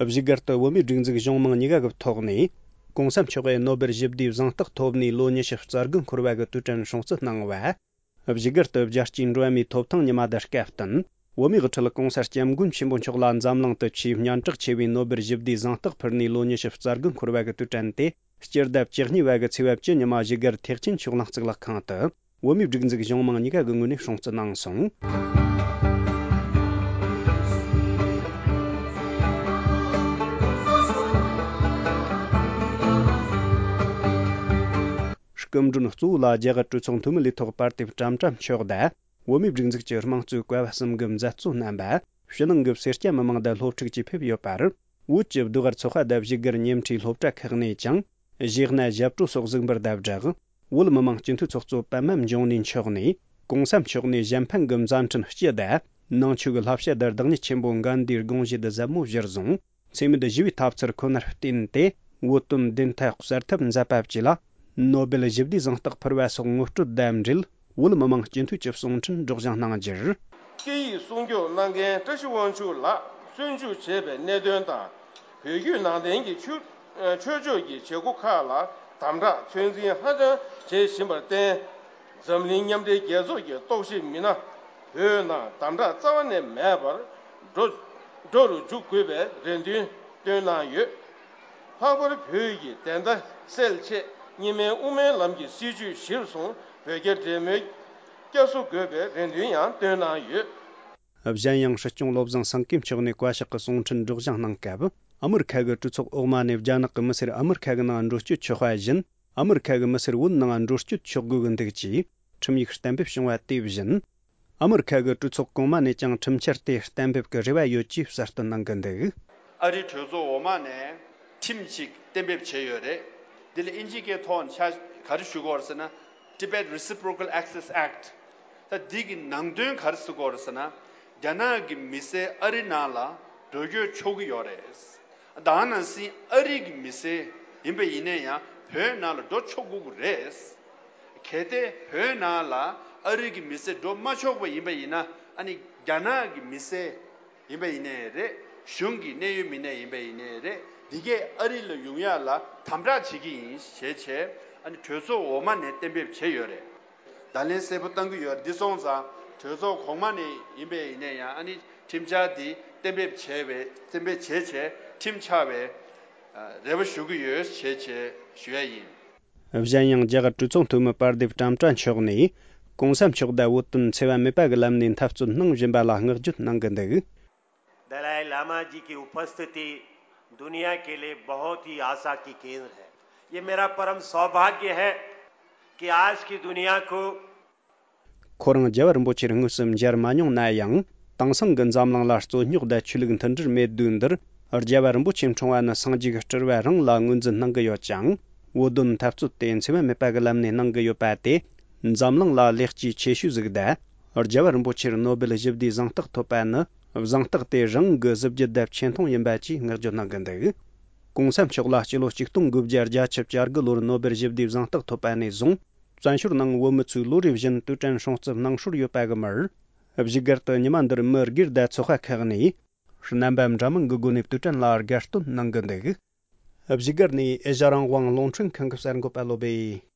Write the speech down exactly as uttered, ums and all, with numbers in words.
བཞུགས་སྒར་དུ་བོད་མིའི་སྒྲིག་འཛུགས་གཞུང་མང་གཉིས་ཀ་གི་ཐོག་ནས་༸གོང་ས་མཆོག་གི་ནོ་སྦེལ་ཞི་བདེའི་གཟེངས་རྟགས་ཐོབ་ནས་ལོ་ཉི་ཤུ་རྩ་དགུ་འཁོར་བ་གི་དུས་དྲན་སྲུང་བརྩི་གནང་བ། བཞུགས་སྒར་དུ་རྒྱལ་སྤྱིའི་འགྲོ་བ་མིའི་ཐོབ་ཐང་ཉི་མ་དང་སྐབས་བསྟུན། བོད་མིའི་དབུ་ཁྲིད་༸གོང་ས་༸སྐྱབས་མགོན་ཆེན་པོ་མཆོག་ལ་འཛམ་གླིང་དུ་ཆེས་སྙན་གྲགས་ཆེ་བའི་ནོ་སྦེལ་ཞི་བདེའི་གཟེངས་རྟགས་ཕུལ་ནས་ལོ་ཉི་ཤུ་རྩ་དགུ་འཁོར་བ་གི་དུས་དྲན་དེ། སྤྱི་ཟླ་བཅུ་གཉིས་པ་གི་ཚེས་པ་བཅུ་ཉི་མ་བཞུགས་སྒར་ཐེག་ཆེན་ཆོས་གླིང་གཙུག་ལག་ཁང་དུ། བོད་མིའི་སྒྲིག་འཛུགས་གཞུང་མང་གཉིས་ཀ་གི་ངོས་ནས་སྲུང་བརྩི་གནང་སོང་། སྐུ་མགྲོན་གཙོ་བོ་ལ་རྒྱ་གར་གྲོས་ཚོགས་འཐུས་མི་ལས་ཐོག་པར་དེབ་ཀྲམ་ཀྲམ་མཆོག་དང་། བོད་མིའི་སྒྲིག་འཛུགས་ཀྱི་དམངས་གཙོའི་བཀའ་བབས་གསུམ་གྱི་མཛད་གཙོ་རྣམ་པ། ཕྱི་ནང་གི་སེར་སྐྱ་མི་མང་དང་སློབ་ཕྲུག་བཅས་ཕེབས་ཡོད་པར། བོད་ཀྱི་ཟློས་གར་ཚོགས་པ་དང་བཞུགས་སྒར་ཉེ་འཁྲིས་སློབ་གྲྭ་ཁག་ནས་ཀྱང་། གཞས་སྣ་ཞབས་བྲོ་སོགས་གཟིགས་འབུལ་དང་སྦྲགས། བོད་མི་མང་སྤྱི་འཐུས་ཚོགས་གཙོ་པད་མ་འབྱུང་གནས་མཆོག་ནས། ༸གོང་ས་མཆོག་ནས་གཞན་ཕན་གྱི་མཛད་འཕྲིན་སྤྱི་དང་། ནང་ཆོས་ཀྱི་བསླབ་བྱ་དང་བདག་ཉིད་ཆེན་པོ་གན་དྷིའི་དགོངས་གཞི་དང་ཟབ་མོ་གཞིར་བཟུང་། འཚེ་མེད་ཞི་བའི་ཐབས་ཚུལ་ཁོ་ནར་བརྟེན་ཏེ། བོད་དོན་བདེན་མཐའ་གསལ་ཐབས་མཛད་པ་བཅས་ལ། ནོ་སྦེལ་ཞི་བདེའི་གཟེངས་རྟགས་ཕུལ་བ་སོགས་ངོ་སྤྲོད་དང་འབྲེལ། བོད་མི་མང་སྤྱི་འཐུས་ཀྱི་གསུང་འཕྲིན་སྒྲོག་སྦྱང་གནང་རྒྱུར། སྐད་ཡིག་སྲུང་སྐྱོབ་གནང་མཁན་བཀྲ་ཤིས་དབང་ཕྱུག་ལགས་བཙོན་འཇུག་བྱས་པའི་གནད་དོན་དང་། བོད་བརྒྱུད་ནང་བསྟན་གྱི་ཆོས་ཆོས་ཕྱོགས་ཀྱི་བྱེད་སྒོ་ཁག་ལ་དམ་དྲག་ཚོད་འཛིན་ཧ་ཅང་བྱེད་བཞིན་པར་བརྟེན། འཛམ་གླིང་མཉམ་འབྲེལ་རྒྱལ་ཚོགས་ཀྱི་རྟོག་ཞིབ་མི་སྣ་བོད་ནང་དམ་དྲག་རྩ་བ་ནས་མེད་པར་འགྲོ་འགྲོ་རུ་འཇུག་དགོས་པའི་རེ་འདུན་བཏོན་གནང་ཡོད། ལྷག་པར་བོད་ཀྱི་བདེན་མཐའ་གསལ་ཆེད་གཉིས་སྨན་དབུ་མའི་ལམ་གྱི་སྲིད་བྱུས་གཞིར་བཟུང་བོད་རྒྱ་འབྲེལ་མོལ་བསྐྱར་གསོ་དགོས་པའི་རེ་འདུན་ཡང་བཏོན་གནང་ཡོད། གཞན་ཡང་སྲིད་སྐྱོང་བློ་བཟང་སེང་གེ་མཆོག་ནས་བཀའ་ཤག་གི་གསུང་འཕྲིན་སྒྲོག་སྦྱང་གནང་སྐབས། ཨ་མི་རི་ཁ་གི་གྲོས་ཚོགས་འོག་མ་ནས་རྒྱ་ནག་གི་མི་སེར་ཨ་མི་རི་ཁ་གི་ནང་འགྲོ་སྐྱོད་ཆོག་པ་བཞིན། ཨ་མི་རི་ཁ་གི་མི་སེར་བོད་ནང་འགྲོ་སྐྱོད་ཆོག་དགོས་ཀྱི་འདུག་ཅེས་ཁྲིམས་ཡིག་གཏན་འབེབས་བྱུང་བ་དེ་བཞིན། ཨ་མི་རི་ཁ་གི་གྲོས་ཚོགས་གོང་མ་ནས་ཀྱང་ཁྲིམས་འཆར་དེ་གཏན་འབེབས་ཀྱི་རེ་བ་ཡོད་ཅེས་གསལ་སྟོན་གནང་གི་འདུག་ཨ་རིའི་གྲོས་ཚོགས་འོག་མ་ནས་ཁྲིམས་གཅིག་གཏན་འབེབས་བྱས་ཡོད་རེད། འདི་ལ་དབྱིན་ཇིའི་སྐད་ཐོག་ནས་ཆ་ག་རེ་ཞུ་དགོས་རེད་ཟེར་ན། Tibet Reciprocal Access Act། ད་འདི་གི་ནང་དོན་ག་རེ་ཟེར་དགོས་རེད་ཟེར་ན། རྒྱ་ནག་གི་མི་སེར་ཨ་རི་ནང་ལ་འགྲོ་སྐྱོད་ཆོག་གི་ཡོད་རེད། ད་ནང་བཞིན་ཨ་རི་གི་མི་སེར་ཡིན་པ་ཡིན་ན་ཡང་བོད་ནང་ལ་འགྲོ་ཆོག་དགོས་ཀྱི་རེད། གལ་ཏེ་བོད་ནང་ལ་ཨ་རི་གི་མི་སེར་འགྲོ་མ་ཆོག་པ་ཡིན་པ་ཡིན་ན། ཨ་ནི་རྒྱ་ནག་གི་མི་སེར་ཡིན་པ་ཡིན་ནའི་རེད། གཞུང་གི་གནད་ཡོད་མི་སྣ་ཡིན་པ་ཡིན་ནའི་རེད། འདི་གས་ཨ་རི་ལ་ཡོང་ཡག་ལ་དམ་དྲག་བྱེད་ཀྱི་ཡིན་ཞེས་བྱས། ཨ་ནི་གྲོས་ཚོགས་འོག་མ་ནས་གཏན་འབེབས་བྱས་ཡོད་རེད། བརྡ་ལན་གསལ་པོ་བཏང་གི་ཡོད་རེད། འདི་སོང་ཙང་གྲོས་ཚོགས་གོང་མ་ནས་ཡིན་པ་ཡིན་ནའི་ཡང་ཨ་ནི་ཁྲིམས་འཆར་འདི་གཏན་འབེབས་བྱས་པའི་གཏན་འབེབས་བྱས་བྱས་ཁྲིམས་ཆགས་པའི་རེ་བ་ཞུ་གི་ཡོད་ཞེས་བྱས་ཞུ་ཡ་ཡིན། གཞན་ཡང་རྒྱ་གར་གྲོས་ཚོགས་འཐུས་མི་པར་དེབ་ཀྲམ་ཀྲ་མཆོག་ནས། ༸གོང་ས་མཆོག་དང་བོད་དོན་འཚེ་བ་མེད་པ་གི་ལམ་ནས་འཐབ་རྩོད་གནང་བཞིན་པ་ལ་བསྔགས་བརྗོད་གནང་གི་འདུག दलाई लामा जी की उपस्थिति दुनिया के लिए बहुत ही आशा की किरण है। ये मेरा परम सौभाग्य है कि आज की दुनिया को ཁོ་རང་རྒྱལ་བ་རིན་པོ་ཆེར་དངོས་སུ་མཇལ་མ་མྱོང་ན་ཡང་། དེང་སང་གི་འཛམ་གླིང་ལ་རྩོད་རྙོག་དང་ཆོས་ལུགས་མཐུན་སྒྲིལ་མེད་དུས་འདིར། རྒྱལ་བ་རིན་པོ་ཆེ་འཁྲུངས་པ་ནི་སངས་རྒྱས་ཀྱི་སྤྲུལ་བ་རང་ལ་ངོས་འཛིན་གནང་གི་ཡོད་ཅིང་། བོད་དོན་འཐབ་རྩོད་དེ་འཚེ་བ་མེད་པ་གི་ལམ་ནས་གནང་གི་ཡོད་པ་དེ། འཛམ་གླིང་ལ་ལེགས་སྐྱེས་ཆེ་ཤོས་ཟིག་དང་། རྒྱལ་བ་རིན་པོ་ཆེར་ནོ་སྦེལ་ཞི་བདེའི་གཟེངས་རྟགས་ཐོབ་པ་ནི། གཟེངས་རྟགས་དེ་རང་གི་གཟི་བརྗིད་དང་ཆེ་མཐོང་ཡིན་པ་བཅས་བསྔགས་བརྗོད་གནང་གི་འདུག ༸གོང་ས་མཆོག་ལ་སྤྱི་ལོ་ཆིག་སྟོང་དགུ་བརྒྱ་བརྒྱད་ཅུ་གྱ་དགུ་ལོར་ནོ་སྦེལ་ཞི་བདེའི་གཟེངས་རྟགས་ཐོབ་པ་ནས་བཟུང་། བཙན་བྱོལ་ནང་བོད་མི་ཚོས་ལོ་རེ་བཞིན་དུས་དྲན་སྲུང་བརྩི་གནང་སྲོལ་ཡོད་པ་གི་མར། བཞུགས་སྒར་དུ་ཉི་མ་འདིར་མི་སྒེར་དང་ཚོགས་པ་ཁག་ནས། རྣམ་པ་འདྲ་མིན་གྱི་སྒོ་ནས་དུས་དྲན་ལ་དགའ་སྟོན་གནང་གི་འདུག་བཞུགས་སྒར་ནས་ཨེ་ཤ་རང་དབང་རླུང་འཕྲིན་ཁང་གི་གསར་འགོད་པ་བློ་སྦེ།